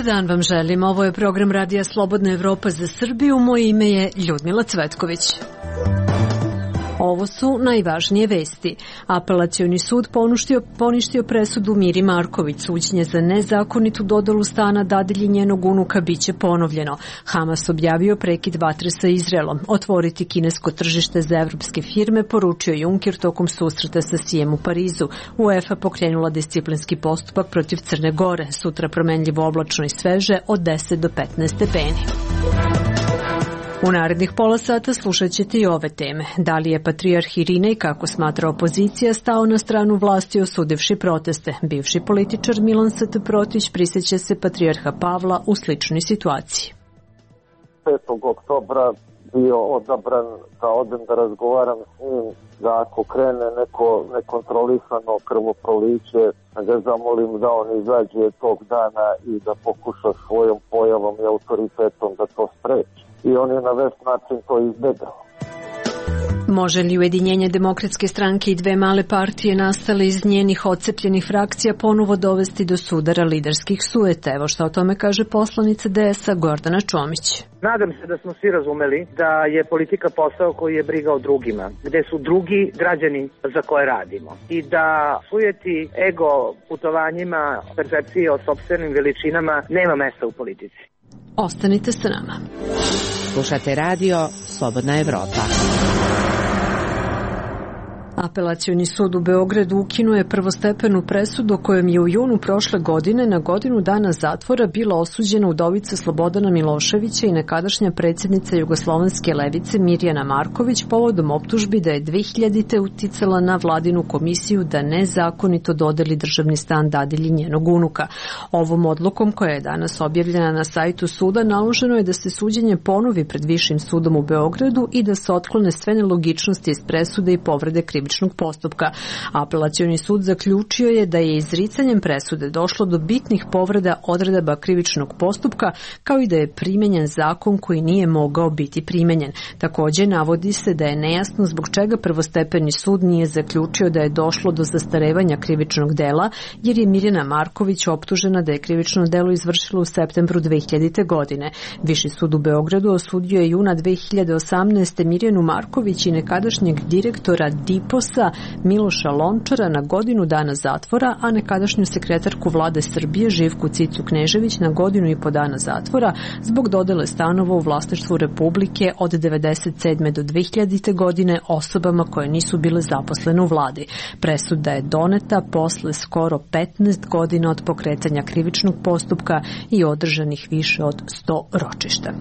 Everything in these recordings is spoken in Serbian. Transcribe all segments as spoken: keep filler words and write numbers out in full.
Dobar dan vam želim. Ovo je program Radija Slobodna Evropa za Srbiju. Moje ime je Ljudmila Cvetković. Ovo su najvažnije vesti. Apelacioni sud poništio, poništio presudu Miri Marković. Suđenje za nezakonitu dodelu stana dadilji njenog unuka biće ponovljeno. Hamas objavio prekid vatre sa Izraelom. Otvoriti kinesko tržište za evropske firme, poručio Juncker tokom susreta sa Sijem u Parizu. UEFA pokrenula disciplinski postupak protiv Crne Gore. Sutra promenljivo oblačno i sveže od deset do petnaest stepeni. U narednih pola sata slušat ćete i ove teme. Da li je patrijarh Irinej, kako smatra opozicija, stao na stranu vlasti osudivši proteste? Bivši političar Milan S T Protić prisjeća se patrijarha Pavla u sličnoj situaciji. petog oktobra bio odabran da odem da razgovaram s njim, da ako krene neko nekontrolisano krvoproliće, da ga zamolim da on izađe tog dana i da pokuša svojom pojavom i autoritetom da to spreči. I on je na vest način to izbegao. Može li ujedinjenje Demokratske stranke i dve male partije nastale iz njenih odcepljenih frakcija ponovo dovesti do sudara liderskih sujeta? Evo šta o tome kaže poslanica D S A Gordana Čomić. Nadam se da smo svi razumeli da je politika posao koji je briga o drugima, gde su drugi građani za koje radimo. I da sujeti ego putovanjima, percepcije o sopstvenim veličinama nema mesta u politici. Ostanite sa nama. Slušate radio Slobodna Evropa. Apelacioni sud u Beogradu ukinuo je prvostepenu presudu kojom je u junu prošle godine na godinu dana zatvora bila osuđena udovica Slobodana Miloševića i nekadašnja predsjednica Jugoslovenske levice Mirjana Marković povodom optužbi da je dve hiljadite uticala na vladinu komisiju da nezakonito dodeli državni stan dadilji njenog unuka. Ovom odlukom koja je danas objavljena na sajtu suda naloženo je da se suđenje ponovi pred Višim sudom u Beogradu i da se otklone sve nelogičnosti iz presude i povrede krivičnog postupka. Apelacioni sud zaključio je da je izricanjem presude došlo do bitnih povreda odredaba krivičnog postupka, kao i da je primenjen zakon koji nije mogao biti primenjen. Također navodi se da je nejasno zbog čega prvostepeni sud nije zaključio da je došlo do zastarevanja krivičnog dela, jer je Mirjana Marković optužena da je krivično delo izvršila u septembru dve hiljadite. godine. Viši sud u Beogradu osudio je juna dve hiljade osamnaeste. Mirjanu Marković i nekadašnjeg direktora Diposa Miloša Lončara na godinu dana zatvora, a nekadašnju sekretarku vlade Srbije Živku Cicu Knežević na godinu i po dana zatvora zbog dodele stanova u vlasništvu Republike od devedeset sedme do dve hiljadite. godine osobama koje nisu bile zaposlene u vladi. Presuda je doneta posle skoro petnaest godina od pokretanja krivičnog postupka i održanih više od sto ročišta.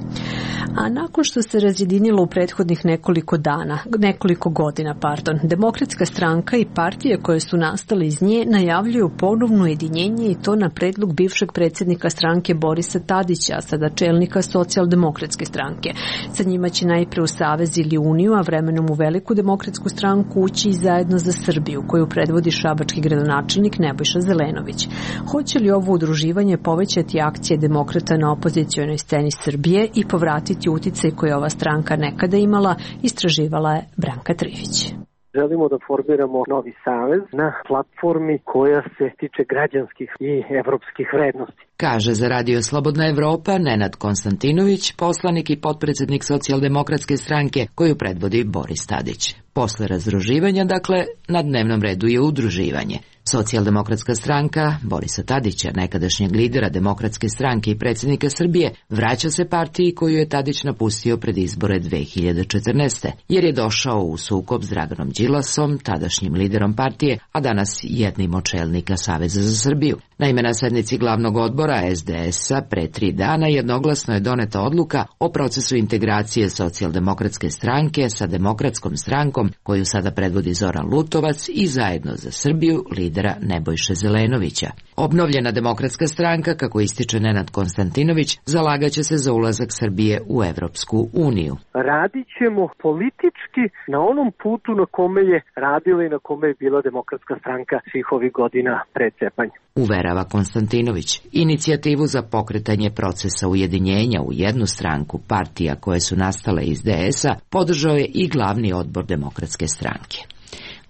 A nakon što se razjedinilo u prethodnih nekoliko dana, nekoliko godina, pardon, Demokratska stranka i partije koje su nastale iz nje najavljuju ponovno ujedinjenje i to na predlog bivšeg predsjednika stranke Borisa Tadića, a sada čelnika Socijaldemokratske stranke. Sa njima će najpre u savez ili uniju, a vremenom u veliku demokratsku stranku ući i Zajedno za Srbiju, koju predvodi šabački gradonačelnik Nebojša Zelenović. Hoće li ovo udruživanje povećati akcije demokrata na opozicionoj sceni Srbije i povratiti uticaj koji ova stranka nekada imala, istraživala je Branka Trivić. Želimo da formiramo novi savez na platformi koja se tiče građanskih i evropskih vrednosti. Kaže za Radio Slobodna Evropa Nenad Konstantinović, poslanik i potpredsjednik Socijaldemokratske stranke koju predvodi Boris Tadić. Posle razdruživanja, dakle, na dnevnom redu je udruživanje. Socijaldemokratska stranka Borisa Tadića, nekadašnjeg lidera Demokratske stranke i predsjednika Srbije, vraća se partiji koju je Tadić napustio pred izbore dve hiljade četrnaeste. jer je došao u sukob s Draganom Đilasom, tadašnjim liderom partije, a danas jednim od čelnika Saveza za Srbiju. Naime, na sednici glavnog odbora S D S-a pre tri dana jednoglasno je doneta odluka o procesu integracije Socijaldemokratske stranke sa Demokratskom strankom, koju sada predvodi Zoran Lutovac, i Zajedno za Srbiju lidera Nebojše Zelenovića. Obnovljena Demokratska stranka, kako ističe Nenad Konstantinović, zalagaće se za ulazak Srbije u Evropsku uniju. Radit ćemo politički na onom putu na kome je radila i na kome je bila Demokratska stranka svih ovih godina pred cepanjem. Uverava Konstantinović. Inicijativu za pokretanje procesa ujedinjenja u jednu stranku partija koje su nastale iz D S-a podržao je i glavni odbor Demokratske stranke.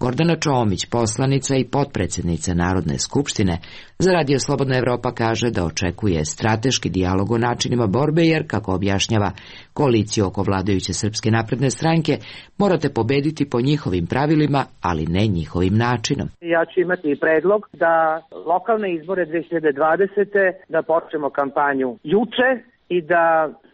Gordana Čomić, poslanica i potpredsjednica Narodne skupštine, za Radio Slobodna Evropa kaže da očekuje strateški dijalog o načinima borbe jer, kako objašnjava, koaliciju oko vladajuće Srpske napredne stranke morate pobediti po njihovim pravilima, ali ne njihovim načinom. Ja ću imati predlog da lokalne izbore dve hiljade dvadesete da počnemo kampanju juče i da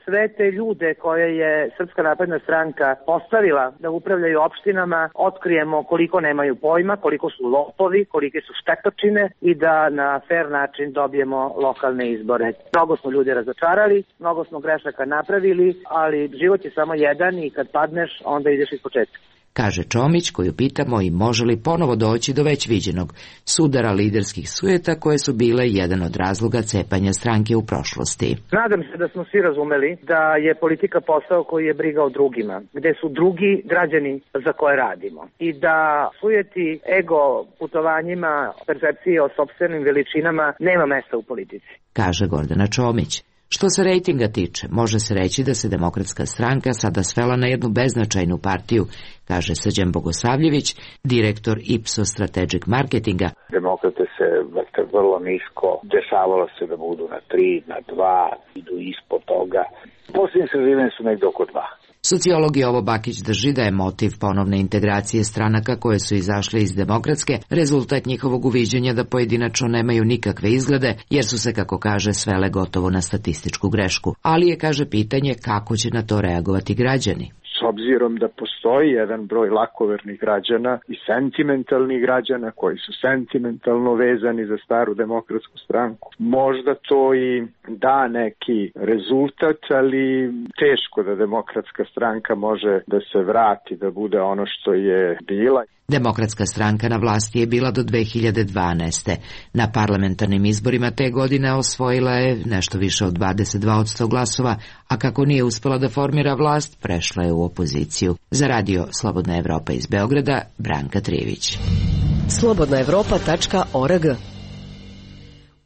sve te ljude koje je Srpska napredna stranka postavila da upravljaju opštinama otkrijemo koliko nemaju pojma, koliko su lopovi, kolike su štetočine i da na fer način dobijemo lokalne izbore. Mnogo smo ljudi razočarali, mnogo smo grešaka napravili, ali život je samo jedan i kad padneš onda ideš iz početka. Kaže Čomić, koju pitamo i može li ponovo doći do već viđenog sudara liderskih sujeta koje su bile jedan od razloga cepanja stranke u prošlosti. Nadam se da smo svi razumeli da je politika posao koji je briga o drugima, gde su drugi građani za koje radimo i da sujeti ego putovanjima, percepcije o sopstvenim veličinama nema mesta u politici. Kaže Gordana Čomić. Što se rejtinga tiče, može se reći da se Demokratska stranka sada svela na jednu beznačajnu partiju, kaže Srđan Bogosavljević, direktor Ipsos Strategic Marketinga. Demokrate se vrte vrlo nisko, dešavalo se da budu na tri, na dva, idu ispod toga. Posljednje istraživanja su negdje oko dva. Sociolog Jovo Bakić drži da je motiv ponovne integracije stranaka koje su izašle iz Demokratske rezultat njihovog uviđenja da pojedinačno nemaju nikakve izglede, jer su se, kako kaže, svele gotovo na statističku grešku. Ali je, kaže, pitanje kako će na to reagovati građani. S obzirom da postoji jedan broj lakovernih građana i sentimentalnih građana koji su sentimentalno vezani za staru Demokratsku stranku. Možda to i da neki rezultat, ali teško da Demokratska stranka može da se vrati, da bude ono što je bila. Demokratska stranka na vlasti je bila do dve hiljade dvanaeste. Na parlamentarnim izborima te godine osvojila je nešto više od dvadeset dva posto glasova, a kako nije uspela da formira vlast, prešla je u opoziciju. Za Radio Slobodna Evropa iz Beograda, Branka Trijević. slobodna evropa tačka org.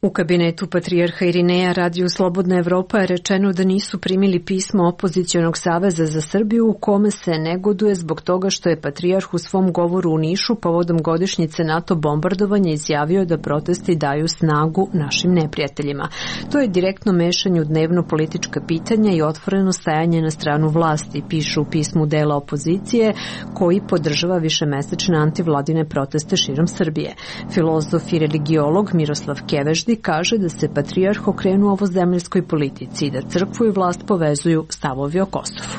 U kabinetu patrijarha Irineja Radiju Slobodna Evropa je rečeno da nisu primili pismo Opozicionog saveza za Srbiju u kome se negoduje zbog toga što je patrijarh u svom govoru u Nišu povodom godišnjice NATO bombardovanja izjavio da protesti daju snagu našim neprijateljima. To je direktno mešanje u dnevno politička pitanja i otvoreno stajanje na stranu vlasti, pišu u pismu dela opozicije koji podržava višemesečne antivladine proteste širom Srbije. Filozof i religiolog Miroslav Keveždi kaže da se patrijarh okrenuo ovozemljskoj politici i da crkvu i vlast povezuju stavovi o Kosovu.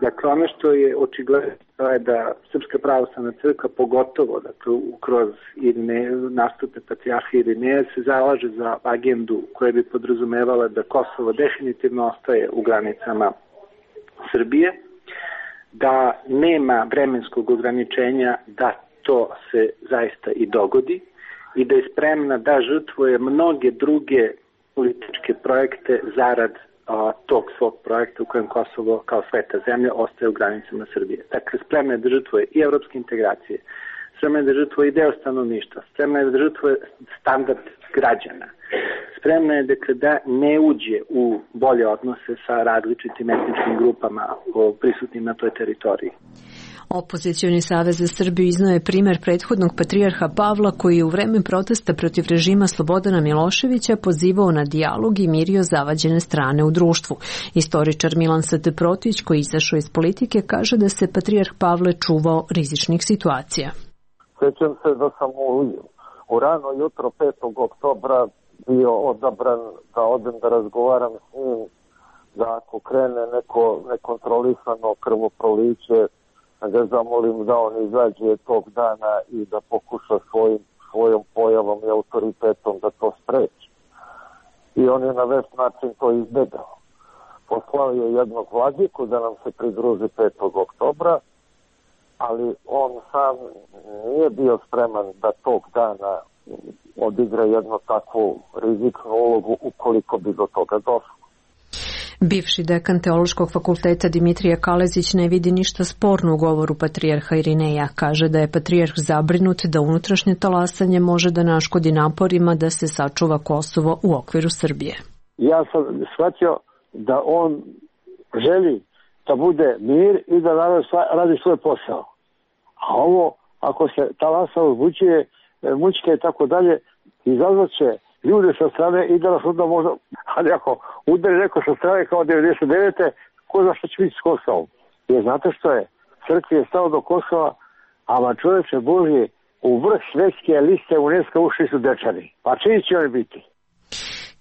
Dakle, ono što je očigledno je da Srpska pravoslavna crkva, pogotovo dakle, kroz Irine, nastupe patrijarha Irineja, se zalaže za agendu koja bi podrazumevala da Kosovo definitivno ostaje u granicama Srbije, da nema vremenskog ograničenja da to se zaista i dogodi, i da je spremna da žrtvuje mnoge druge političke projekte zarad a, tog svog projekta u kojem Kosovo kao sveta zemlja ostaje u granicama Srbije. Dakle, spremna je da žrtvuje i evropske integracije, spremna je da žrtvuje i deo stanovništva, spremna je da žrtvuje standard građana, spremna je dakle, da ne uđe u bolje odnose sa različitim etničkim grupama prisutnim na toj teritoriji. Opozicioni savez za Srbiju iznao je primer prethodnog patrijarha Pavla koji je u vreme protesta protiv režima Slobodana Miloševića pozivao na dijalog i mirio zavađene strane u društvu. Istoričar Milan S T Protić, koji izašao iz politike, kaže da se patrijarh Pavle čuvao rizičnih situacija. Sjećam se da sam u, u rano jutro petog oktobra bio odabran da odem da razgovaram s njim, da ako krene neko nekontrolisano krvoproliće, da ga zamolim da on izađe tog dana i da pokuša svojim, svojom pojavom i autoritetom da to spreči. I on je na vešt način to izbegao. Poslao je jednog vladiku da nam se pridruži petog oktobra, ali on sam nije bio spreman da tog dana odigra jednu takvu rizičnu ulogu ukoliko bi do toga došlo. Bivši dekan Teološkog fakulteta Dimitrije Kalezić ne vidi ništa sporno u govoru patrijarha Irineja. Kaže da je patrijarh zabrinut da unutrašnje talasanje može da naškodi naporima da se sačuva Kosovo u okviru Srbije. Ja sam shvatio da on želi da bude mir i da radi svoj posao. A ovo ako se ta lasa uzbuđuje, mućke i tako dalje, izazvat će ljude sa strane i da nas onda možda, ali ako udari neko sa strane kao devedeset devete ko zna što će biti s Kosovom. Jer znate što je? Crkvi je stalo do Kosova, ama čovječe Božje, u vrh svetske liste UNESCO ušli su Dečani. Pa čiji će oni biti?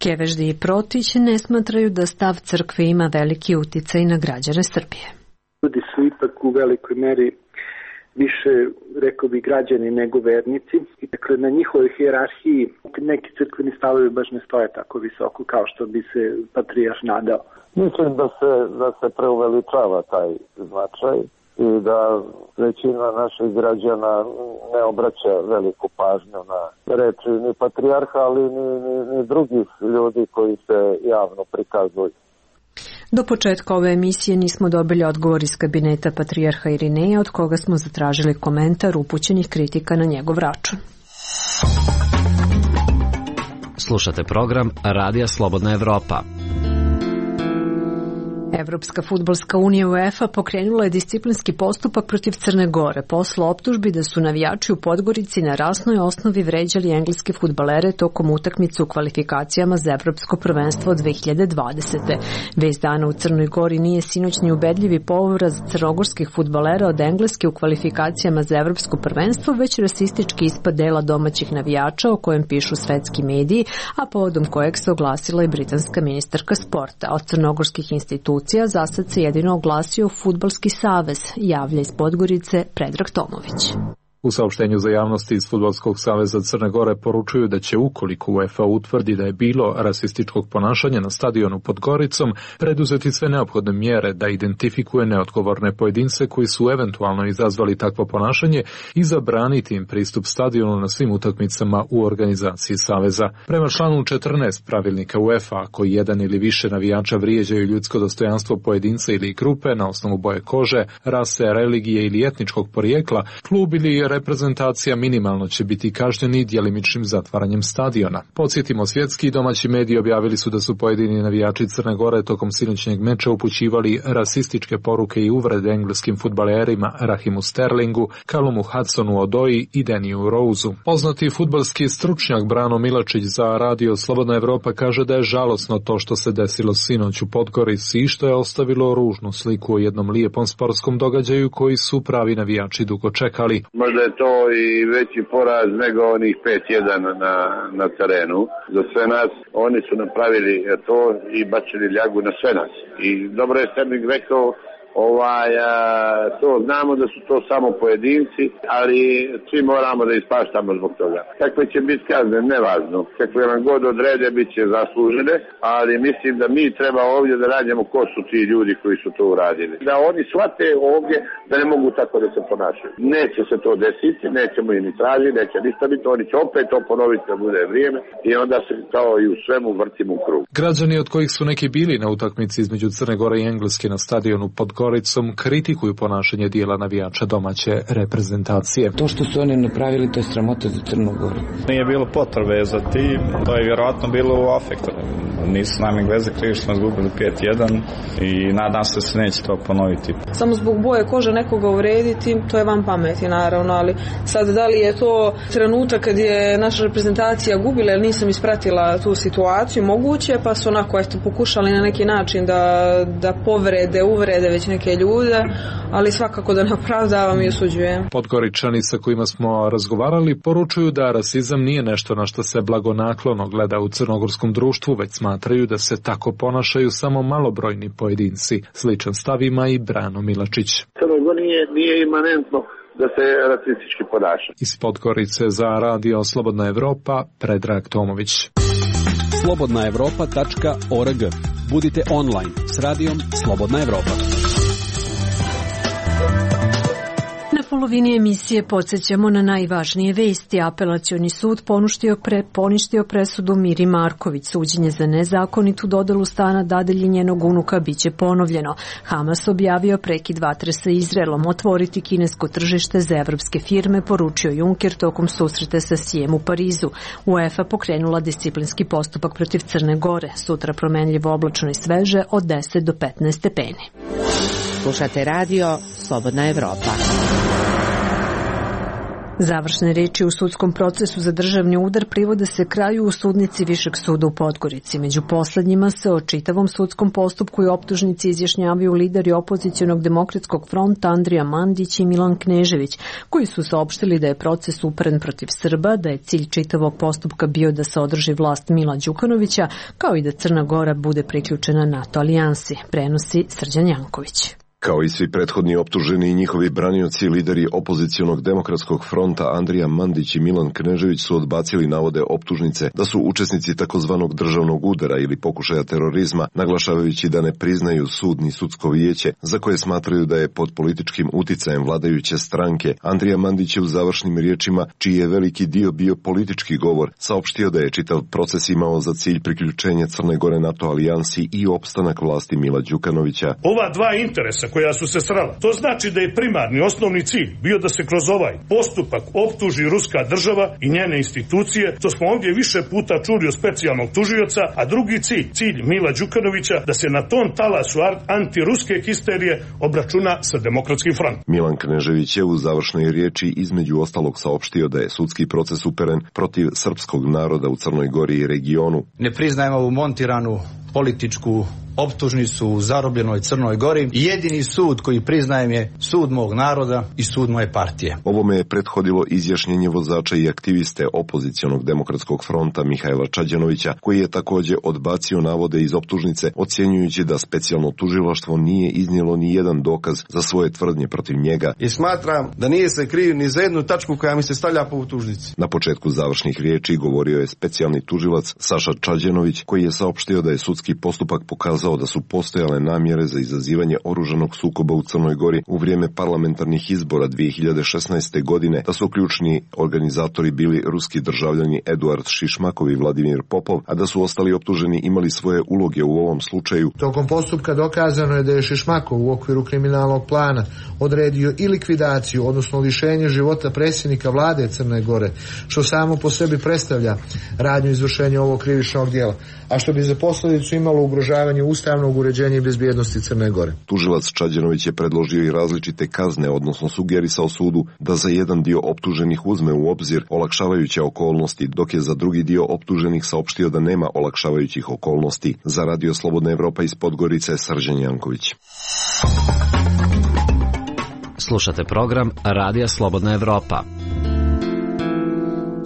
Keveždi i Protić ne smatraju da stav crkve ima veliki uticaj na građane Srbije. Ljudi su ipak u velikoj meri više, rekao bi, građani nego vernici. I dakle, na njihovoj hijerarhiji neki crkveni stavovi baš ne stoje tako visoko kao što bi se patrijarh nadao. Mislim da se, da se preuveličava taj značaj i da većina naših građana ne obraća veliku pažnju na reči ni patrijarha, ali ni, ni, ni drugih ljudi koji se javno prikazuju. Do početka ove emisije nismo dobili odgovor iz kabineta patrijarha Irineja, od koga smo zatražili komentar upućenih kritika na njegov račun. Slušate program Radija Slobodna Evropa. Evropska fudbalska unija UEFA pokrenula je disciplinski postupak protiv Crne Gore posle optužbi da su navijači u Podgorici na rasnoj osnovi vređali engleske fudbalere tokom utakmice u kvalifikacijama za Evropsko prvenstvo dve hiljade dvadesete. Vez dana u Crnoj Gori nije sinoćni ubedljivi poraz crnogorskih fudbalera od Engleske u kvalifikacijama za Evropsko prvenstvo, već rasistički ispad dela domaćih navijača o kojem pišu svetski mediji, a povodom kojeg se oglasila i britanska ministarka sporta. Od crnogorskih institucija za sad se jedino oglasio Fudbalski savez, javlja iz Podgorice Predrag Tomović. U saopštenju za javnosti iz Fudbalskog saveza Crne Gore poručuju da će, ukoliko UEFA utvrdi da je bilo rasističkog ponašanja na stadionu pod Goricom, preduzeti sve neophodne mjere da identifikuje neodgovorne pojedince koji su eventualno izazvali takvo ponašanje i zabraniti im pristup stadionu na svim utakmicama u organizaciji saveza. Prema članu četrnaest pravilnika UEFA, ako jedan ili više navijača vrijeđaju ljudsko dostojanstvo pojedinca ili grupe na osnovu boje kože, rase, religije ili etničkog porijekla, klub ili reprezentacija minimalno će biti kažnjeni djelimičnim zatvaranjem stadiona. Podsjetimo, svjetski i domaći mediji objavili su da su pojedini navijači Crne Gore tokom sinoćnjeg meča upućivali rasističke poruke i uvrede engleskim fudbalerima Rahimu Sterlingu, Calumu Hudsonu-Odoi i Deniju Roseu. Poznati fudbalski stručnjak Brano Milačić za Radio Slobodna Evropa kaže da je žalosno to što se desilo sinoć u Podgorici i što je ostavilo ružnu sliku o jednom lijepom sportskom događaju koji su pravi navijači dugo čekali. Možda je to i veći poraz nego onih pet jedan na, na terenu. Za sve nas oni su napravili to i bačili ljagu na sve nas. I dobro je Sterling rekao, ovaj, a, to znamo da su to samo pojedinci, ali svi moramo da ispaštamo zbog toga. Kakve će biti kazne, nevažno. Kakve nam god odrede, bit će zaslužene, ali mislim da mi treba ovdje da radimo ko su ti ljudi koji su to uradili. Da oni shvate ovdje da ne mogu tako da se ponašaju. Neće se to desiti, nećemo i ni tražiti, neće ništa biti, oni će opet to ponoviti da bude vrijeme i onda se kao i u svemu vrtimo u krug. Građani, od kojih su neki bili na utakmici između Crne Gore i Engleske na stadionu pod Goricom, kritikuju ponašanje dijela navijača domaće reprezentacije. To što su oni napravili, to je sramota za Crnu Goru. Nije bilo potrebe za tim, to je vjerojatno bilo u afektu. Nisu nam Engleze krivi što smo izgubili pet jedan i nadam se da se neće to ponoviti. Samo zbog boje kože nekoga uvrediti, to je van pameti naravno, ali sad da li je to trenutak kad je naša reprezentacija gubila ili nisam ispratila tu situaciju, moguće, pa su onako eto pokušali na neki način da, da povrede, uvrede već neke ljude, ali svakako da ne opravdavam i osuđujem. Podgoričani sa kojima smo razgovarali poručuju da rasizam nije nešto na što se blagonaklono gleda u crnogorskom društvu, već smatraju da se tako ponašaju samo malobrojni pojedinci. Sličan stav ima i Brano Milačić. Crnogo nije, nije imanentno da se rasistički ponaša. Iz Podgorice za Radio Slobodna Evropa, Predrag Tomović. slobodna evropa tačka org. Budite online s radijom Slobodna Evropa. Na polovini emisije podsjećamo na najvažnije vesti. Apelacioni sud poništio, pre, poništio presudu Miri Marković. Suđenje za nezakonitu dodelu stana dadilji njenog unuka biće ponovljeno. Hamas objavio prekid vatre sa Izraelom. Otvoriti kinesko tržište za evropske firme, poručio Juncker tokom susreta sa Sijem u Parizu. UEFA pokrenula disciplinski postupak protiv Crne Gore. Sutra promenljivo oblačno i sveže od deset do petnaest stepeni. Slušate radio Slobodna Evropa. Završne reči u sudskom procesu za državni udar privode se kraju u sudnici Višeg suda u Podgorici. Među poslednjima se o čitavom sudskom postupku i optužnici izjašnjavaju lideri opozicionog demokratskog fronta Andrija Mandić i Milan Knežević, koji su saopštili da je proces uperen protiv Srba, da je cilj čitavog postupka bio da se održi vlast Mila Đukanovića, kao i da Crna Gora bude priključena NATO alijansi, prenosi Srđan Janković. Kao i svi prethodni optuženi i njihovi branioci, lideri opozicionog demokratskog fronta Andrija Mandić i Milan Knežević su odbacili navode optužnice da su učesnici takozvanog državnog udara ili pokušaja terorizma, naglašavajući da ne priznaju sud ni sudsko vijeće, za koje smatraju da je pod političkim uticajem vladajuće stranke. Andrija Mandić je u završnim riječima, čiji je veliki dio bio politički govor, saopštio da je čitav proces imao za cilj priključenje Crne Gore NATO alijansi i opstanak vlasti Mila Đukanovića. Ova dva interesa koja su se srela. To znači da je primarni osnovni cilj bio da se kroz ovaj postupak optuži ruska država i njene institucije. To smo ovdje više puta čuli od specijalnog tužioca, a drugi cilj, cilj Mila Đukanovića, da se na tom talasu antiruske histerije obračuna sa demokratskim frontom. Milan Knežević je u završnoj riječi između ostalog saopštio da je sudski proces uperen protiv srpskog naroda u Crnoj Gori i regionu. Ne priznajemo ovu montiranu političku optužnicu u zarobljenoj Crnoj Gori. Jedini sud koji priznajem je sud mog naroda i sud moje partije. Ovome je prethodilo izjašnjenje vozača i aktiviste opozicionog demokratskog fronta Mihajla Čađanovića, koji je također odbacio navode iz optužnice, ocjenjujući da specijalno tužilaštvo nije iznijelo ni jedan dokaz za svoje tvrdnje protiv njega. I smatram da nije se kriv ni za jednu tačku koja mi se stavlja po optužnici. Na početku završnih riječi govorio je specijalni tužilac Saša Čađanović, koji je saopštio da je sudski postupak pokazao da su postojale namjere za izazivanje oružanog sukoba u Crnoj Gori u vrijeme parlamentarnih izbora dvije hiljade šesnaeste. godine, da su ključni organizatori bili ruski državljani Eduard Šišmakov i Vladimir Popov, a da su ostali optuženi imali svoje uloge u ovom slučaju. Tokom postupka dokazano je da je Šišmakov u okviru kriminalnog plana odredio i likvidaciju, odnosno lišenje života predsjednika vlade Crne Gore, što samo po sebi predstavlja radnju izvršenja ovog krivičnog djela, a što bi za posljedicu imalo ugrožavanje ustavnog uređenja i bezbjednosti Crne Gore. Tužilac Čađanović je predložio i različite kazne, odnosno sugerisao sudu da za jedan dio optuženih uzme u obzir olakšavajuće okolnosti, dok je za drugi dio optuženih saopštio da nema olakšavajućih okolnosti. Za Radio Slobodna Evropa iz Podgorice, Srđan Janković. Slušate program Radija Slobodna Evropa.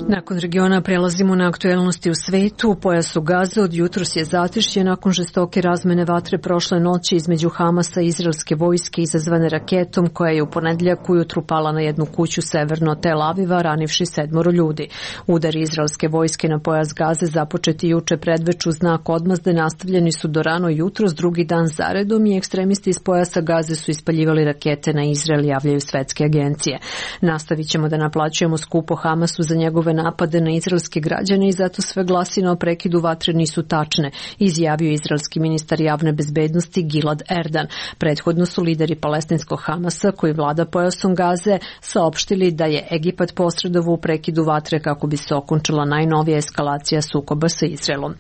Nakon regiona prelazimo na aktuelnosti u svetu. U pojasu Gaze od jutros je zatišje nakon žestoke razmene vatre prošle noći između Hamasa i izraelske vojske izazvane raketom koja je u ponedjeljak ujutru pala na jednu kuću severno Tel Aviva, ranivši sedmoro ljudi. Udari izraelske vojske na pojas Gaze započeti juče predveču znak odmazde nastavljeni su do rano jutros, drugi dan zaredom, i ekstremisti iz pojasa Gaze su ispaljivali rakete na Izrael, javljaju svetske agencije. Nastavit ćemo da naplaćujemo skupo Hamasu za njegove napade na izraelske građane i zato sve glasine o prekidu vatre nisu tačne, izjavio izraelski ministar javne bezbednosti Gilad Erdan. Prethodno su lideri palestinskog Hamasa, koji vlada pojasom Gaze, saopštili da je Egipat posredovao u prekidu vatre kako bi se okončala najnovija eskalacija sukoba sa Izraelom.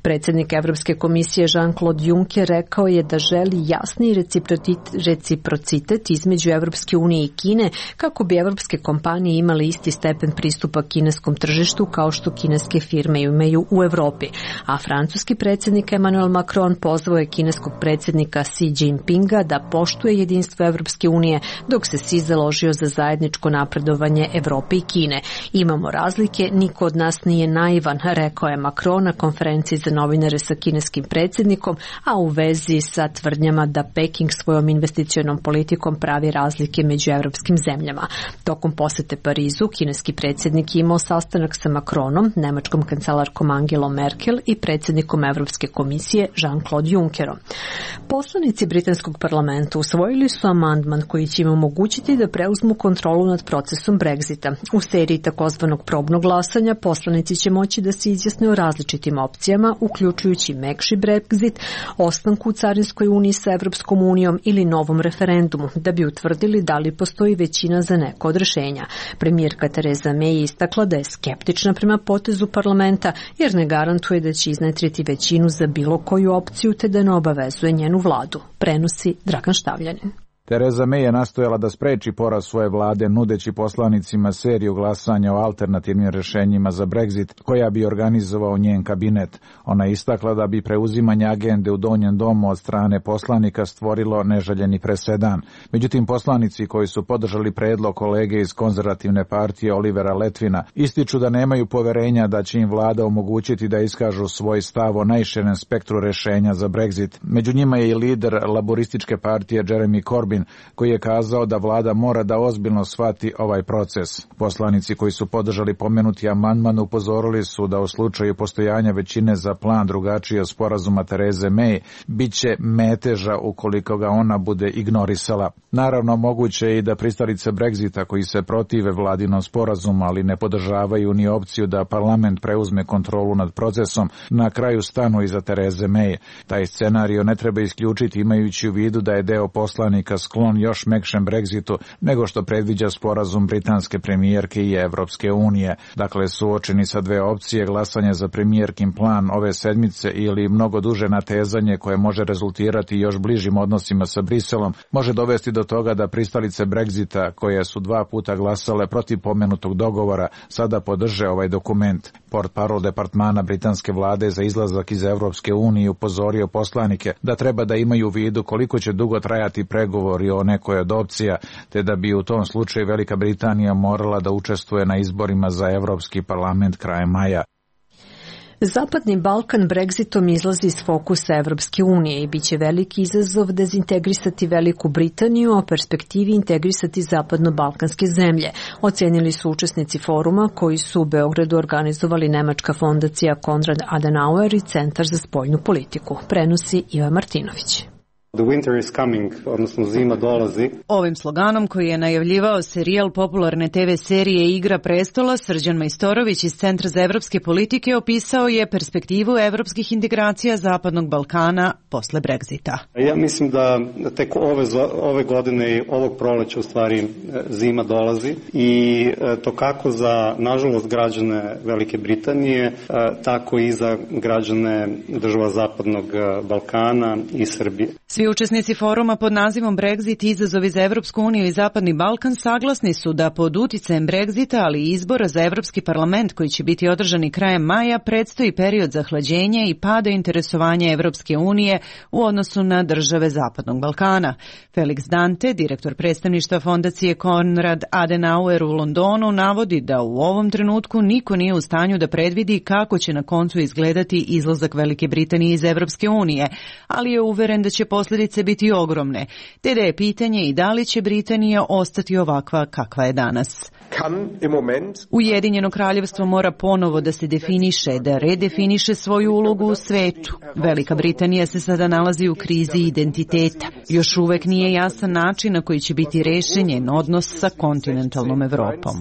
Predsjednik Evropske komisije Jean-Claude Juncker rekao je da želi jasni reciprocitet između Evropske unije i Kine kako bi evropske kompanije imale isti stepen pristupa kineskom tržištu kao što kineske firme imaju u Evropi. A francuski predsjednik Emmanuel Macron pozvao je kineskog predsjednika Xi Jinpinga da poštuje jedinstvo Evropske unije dok se Xi založio za zajedničko napredovanje Evrope i Kine. Imamo razlike, niko od nas nije naivan, rekao je Macron na konferenciji za novinare sa kineskim predsjednikom, a u vezi sa tvrdnjama da Peking svojom investicionom politikom pravi razlike među evropskim zemljama. Tokom posete Parizu, kineski predsjednik je imao sastanak sa Macronom, nemačkom kancelarkom Angelom Merkel i predsjednikom Evropske komisije Jean-Claude Junckerom. Poslanici britanskog parlamenta usvojili su amandman koji će im omogućiti da preuzmu kontrolu nad procesom Brexita. U seriji takozvanog probnog glasanja poslanici će moći da se izjasne o različitim opcijama, uključujući mekši Brexit, ostanku u carinskoj uniji sa Evropskom unijom ili novom referendumu, da bi utvrdili da li postoji većina za neko od rješenja. Premijerka Theresa May je istakla da je skeptična prema potezu parlamenta jer ne garantuje da će iznedriti većinu za bilo koju opciju te da ne obavezuje njenu vladu, prenosi Dragan Štavljanin. Tereza May je nastojala da spreči poraz svoje vlade nudeći poslanicima seriju glasanja o alternativnim rešenjima za Brexit koja bi organizovao njen kabinet. Ona je istakla da bi preuzimanje agende u Donjem domu od strane poslanika stvorilo neželjeni presedan. Međutim, poslanici koji su podržali predlog kolege iz konzervativne partije Olivera Letvina ističu da nemaju poverenja da će im vlada omogućiti da iskažu svoj stav o najširem spektru rešenja za Brexit. Među njima je i lider laborističke partije Jeremy Corbyn, koji je kazao da vlada mora da ozbiljno shvati ovaj proces. Poslanici koji su podržali pomenuti amandman upozorili su da u slučaju postojanja većine za plan drugačije sporazuma Tereze May biće meteža ukoliko ga ona bude ignorisala. Naravno, moguće je i da pristalice Brexita koji se protive vladinom sporazumu, ali ne podržavaju ni opciju da parlament preuzme kontrolu nad procesom, na kraju stanu iza Tereze May. Taj scenario ne treba isključiti imajući u vidu da je deo poslanika sklon još mekšem Brexitu nego što predviđa sporazum britanske premijerke i Evropske unije. Dakle, suočeni sa dve opcije, glasanje za premijerkin plan ove sedmice ili mnogo duže natezanje koje može rezultirati još bližim odnosima sa Briselom, može dovesti do toga da pristalice Brexita, koje su dva puta glasale protiv pomenutog dogovora, sada podrže ovaj dokument. Portparol departmana britanske vlade za izlazak iz Evropske unije upozorio poslanike da treba da imaju u vidu koliko će dugo trajati pregovori o nekoj od opcija, te da bi u tom slučaju Velika Britanija morala da učestvuje na izborima za Evropski parlament krajem maja. Zapadni Balkan Brexitom izlazi iz fokusa Evropske unije i biće veliki izazov dezintegrisati Veliku Britaniju, a perspektivi integrisati zapadno-balkanske zemlje, ocenili su učesnici foruma koji su u Beogradu organizovali Nemačka fondacija Konrad Adenauer i Centar za spoljnu politiku. Prenosi Iva Martinović. The winter is coming, odnosno zima dolazi. Ovim sloganom koji je najavljivao serijal popularne te ve serije Igra prestola, Srđan Majstorović iz Centra za evropske politike opisao je perspektivu evropskih integracija Zapadnog Balkana posle Brexita. Ja mislim da tek ove, ove godine i ovog proleća u stvari zima dolazi i to kako za, nažalost, građane Velike Britanije, tako i za građane država Zapadnog Balkana i Srbije. Svi učesnici foruma pod nazivom Brexit izazovi za Evropsku uniju i Zapadni Balkan saglasni su da pod uticajem Brexita, ali i izbora za Evropski parlament koji će biti održani krajem maja, predstoji period zahlađenja i pada interesovanja Evropske unije u odnosu na države Zapadnog Balkana. Felix Dante, direktor predstavništva fondacije Konrad Adenauer u Londonu, navodi da u ovom trenutku niko nije u stanju da predvidi kako će na koncu izgledati izlazak Velike Britanije iz Evropske unije, ali je uveren da će posljedice biti ogromne, te da je pitanje i da li će Britanija ostati ovakva kakva je danas. Ujedinjeno kraljevstvo mora ponovo da se definiše, da redefiniše svoju ulogu u svetu. Velika Britanija se sada nalazi u krizi identiteta. Još uvek nije jasan način na koji će biti rešen njen odnos sa kontinentalnom Evropom.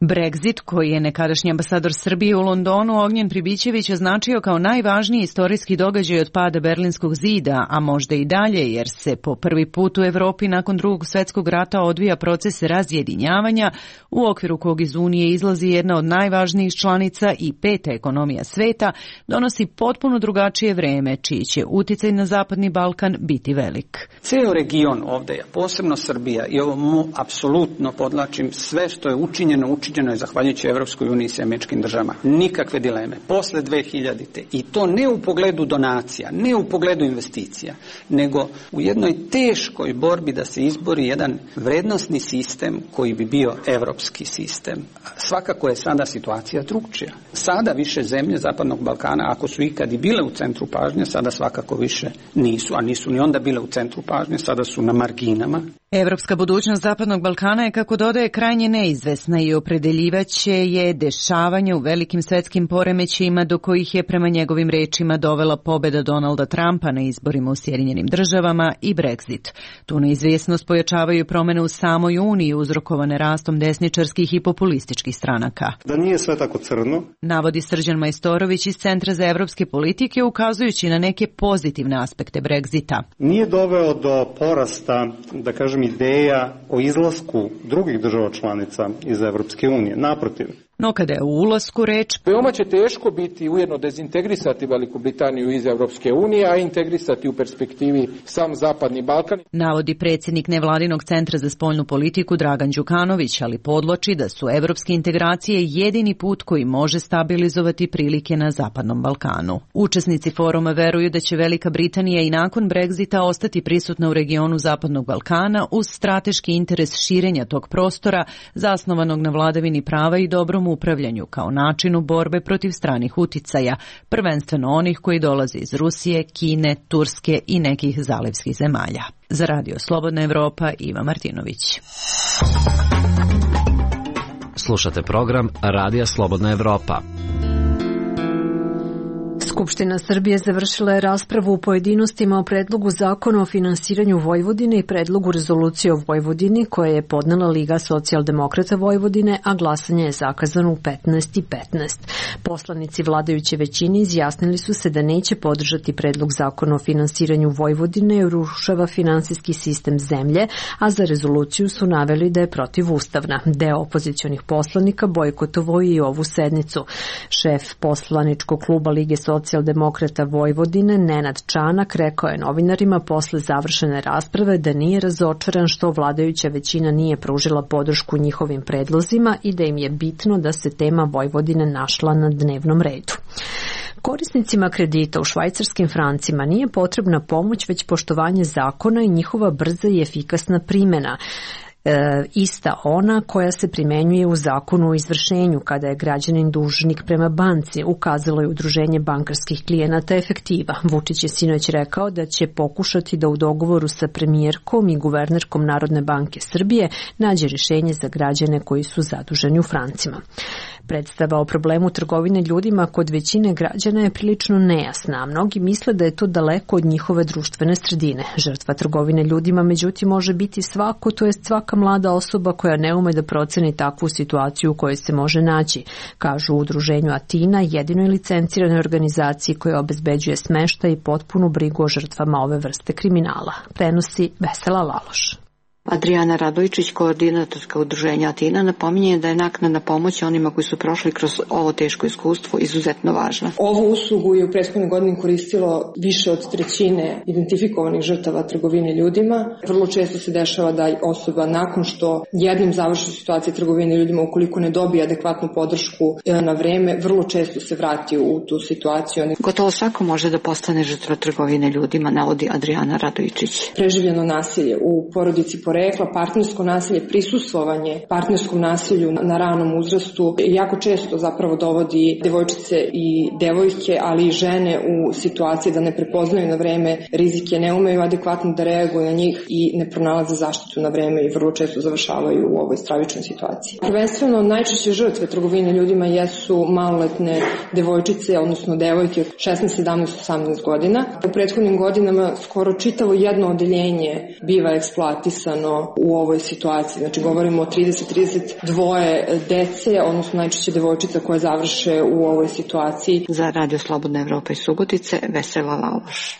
Brexit, koji je nekadašnji ambasador Srbije u Londonu Ognjen Pribićević označio kao najvažniji istorijski događaj od pada Berlinskog zida, a možda i dalje, jer se po prvi put u Evropi nakon drugog svjetskog rata odvija proces razjedinjavanja, u okviru kog iz Unije izlazi jedna od najvažnijih članica i peta ekonomija sveta, donosi potpuno drugačije vreme, čiji će uticaj na Zapadni Balkan biti velik. Ceo region ovdje, posebno Srbija, i ovo mu apsolutno podlačim, sve što je učinjeno, učinjeno je zahvaljujući Evropskoj uniji i američkim državama. Nikakve dileme. Posle dve hiljadite. I to ne u pogledu donacija, ne u pogledu investicija, nego u jednoj teškoj borbi da se izbori jedan vrednosni sistem koji bi bio evropski sistem. Svakako je sada situacija drugčija. Sada više zemlje Zapadnog Balkana, ako su ikad i bile u centru pažnje, sada svakako više nisu, a nisu ni onda bile u centru pažnje, sada su na marginama. Evropska budućnost Zapadnog Balkana je, kako dodaje, krajnje neizvesna i opredeljivaće je dešavanje u velikim svetskim poremećajima do kojih je prema njegovim rečima dovela pobeda Donalda Trumpa na izborima u Sjedinjenim državama i Brexit. Tu neizvjesnost pojačavaju promene u samoj Uniji uzrokovane rastom desničarskih i populističkih stranaka. Da nije sve tako crno, navodi Srđan Majstorović iz Centra za evropske politike, ukazujući na neke pozitivne aspekte Brexita. Nije doveo do porasta, da kažem, ideja o izlasku drugih država članica iz Evropske unije. Naprotiv. No kada je u ulasku reč, veoma će teško biti ujedno dezintegrisati Veliku Britaniju iz Evropske unije, a integrisati u perspektivi sam Zapadni Balkan. Navodi predsjednik nevladinog centra za spoljnu politiku Dragan Đukanović, ali podvlači da su evropske integracije jedini put koji može stabilizovati prilike na Zapadnom Balkanu. Učesnici foruma veruju da će Velika Britanija i nakon Brexita ostati prisutna u regionu Zapadnog Balkana uz strateški interes širenja tog prostora zasnovanog na vladavini prava i dobrom upravljanju kao načinu borbe protiv stranih uticaja, prvenstveno onih koji dolaze iz Rusije, Kine, Turske i nekih zalivskih zemalja. Za Radio Slobodna Evropa, Iva Martinović. Slušate program Radija Slobodna Evropa. Skupština Srbije završila je raspravu u pojedinostima o predlogu zakona o finansiranju Vojvodine i predlogu rezolucije o Vojvodini koje je podnela Liga socijaldemokrata Vojvodine, a glasanje je zakazano u petnaest i petnaest. Poslanici vladajuće većine izjasnili su se da neće podržati predlog zakona o finansiranju Vojvodine jer urušava finansijski sistem zemlje, a za rezoluciju su naveli da je protivustavna. Deo opozicionih poslanika bojkotovao i ovu sednicu. Šef poslaničkog kluba Lige socijaldemokrata Vojvodine, Nenad Čanak, rekao je novinarima posle završene rasprave da nije razočaran što vladajuća većina nije pružila podršku njihovim predlozima i da im je bitno da se tema Vojvodine našla na dnevnom redu. Korisnicima kredita u švajcarskim francima nije potrebna pomoć već poštovanje zakona i njihova brza i efikasna primjena. E, ista ona koja se primenjuje u zakonu o izvršenju kada je građanin dužnik prema banci, ukazalo je Udruženje bankarskih klijenata Efektiva. Vučić je sinoć rekao da će pokušati da u dogovoru sa premijerkom i guvernerkom Narodne banke Srbije nađe rješenje za građane koji su zaduženi u francima. Predstava o problemu trgovine ljudima kod većine građana je prilično nejasna, a mnogi misle da je to daleko od njihove društvene sredine. Žrtva trgovine ljudima međutim može biti svako, to jest svaka mlada osoba koja ne ume da proceni takvu situaciju u kojoj se može naći, kažu u Udruženju Atina, jedinoj licenciranoj organizaciji koja obezbeđuje smeštaj i potpunu brigu o žrtvama ove vrste kriminala. Prenosi Vesela Laloš. Adriana Radojčić, koordinatorska udruženja Atina, napominje da je naknadna pomoć onima koji su prošli kroz ovo teško iskustvo izuzetno važna. Ovu uslugu je u prethodnoj godini koristilo više od trećine identifikovanih žrtava trgovine ljudima. Vrlo često se dešava da osoba nakon što jednom završi situacija trgovine ljudima, ukoliko ne dobije adekvatnu podršku na vreme, vrlo često se vrati u tu situaciju. Gotovo svako može da postane žrtva trgovine ljudima, navodi Adriana Radojčić. Preživljeno nasilje u porodici porekla, partnersko nasilje, prisustvovanje partnerskom nasilju na ranom uzrastu jako često zapravo dovodi devojčice i devojke, ali i žene u situaciji da ne prepoznaju na vreme rizike, ne umeju adekvatno da reaguju na njih i ne pronalaze zaštitu na vreme i vrlo često završavaju u ovoj stravičnoj situaciji. Prvenstveno najčešće žrtve trgovine ljudima jesu maloletne devojčice, odnosno devojke od šesnaest, sedamnaest, osamnaest godina. U prethodnim godinama skoro čitavo jedno odeljenje biva eksploatisano u ovoj situaciji. Znači govorimo o trideset do trideset dva dece, odnosno najčešće devojčica koje završe u ovoj situaciji. Za Radio Slobodna Evropa iz Subotice, Vesela Laloš.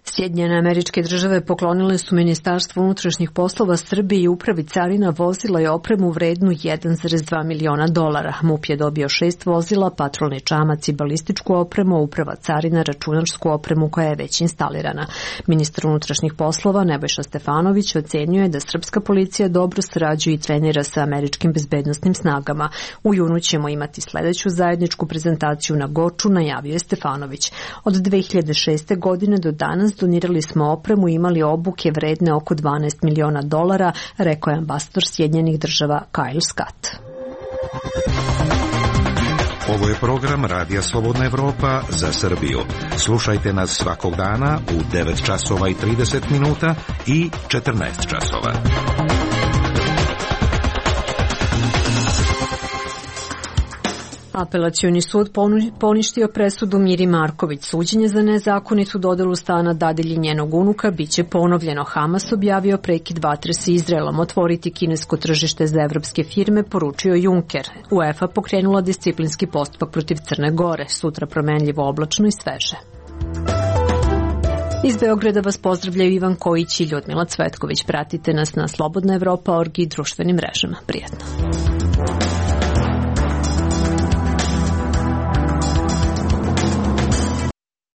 Sjedinjene Američke Države poklonile su Ministarstvu unutrašnjih poslova Srbije i Upravi carina vozila i opremu vrednu jedan zarez dva miliona dolara. MUP je dobio šest vozila, patrolni čamac i balističku opremu, Uprava carina računarsku opremu koja je već instalirana. Ministar unutrašnjih poslova Nebojša Stefanović ocenio je da srpska policija dobro sarađuje i trenira sa američkim bezbednosnim snagama. U junu ćemo imati sledeću zajedničku prezentaciju na Goču, najavio je Stefanović. Od dve hiljade šeste. godine do danas donirali smo opremu i imali obuke vredne oko dvanaest miliona dolara, rekao je ambasador Sjedinjenih Država Kyle Scott. Ovo je program Radija Slobodna Evropa za Srbiju. Slušajte nas svakog dana u devet časova i trideset minuta i četrnaest časova. Apelacioni sud poništio presudu Miri Marković. Suđenje za nezakonitu dodelu stana dadilji njenog unuka biće ponovljeno. Hamas objavio prekid vatre sa Izraelom. Otvoriti kinesko tržište za evropske firme, poručio Juncker. UEFA pokrenula disciplinski postupak protiv Crne Gore. Sutra promenljivo oblačno i sveže. Iz Beograda vas pozdravljaju Ivan Kojić i Ljudmila Cvetković. Pratite nas na slobodna evropa org i društvenim mrežama. Prijetno.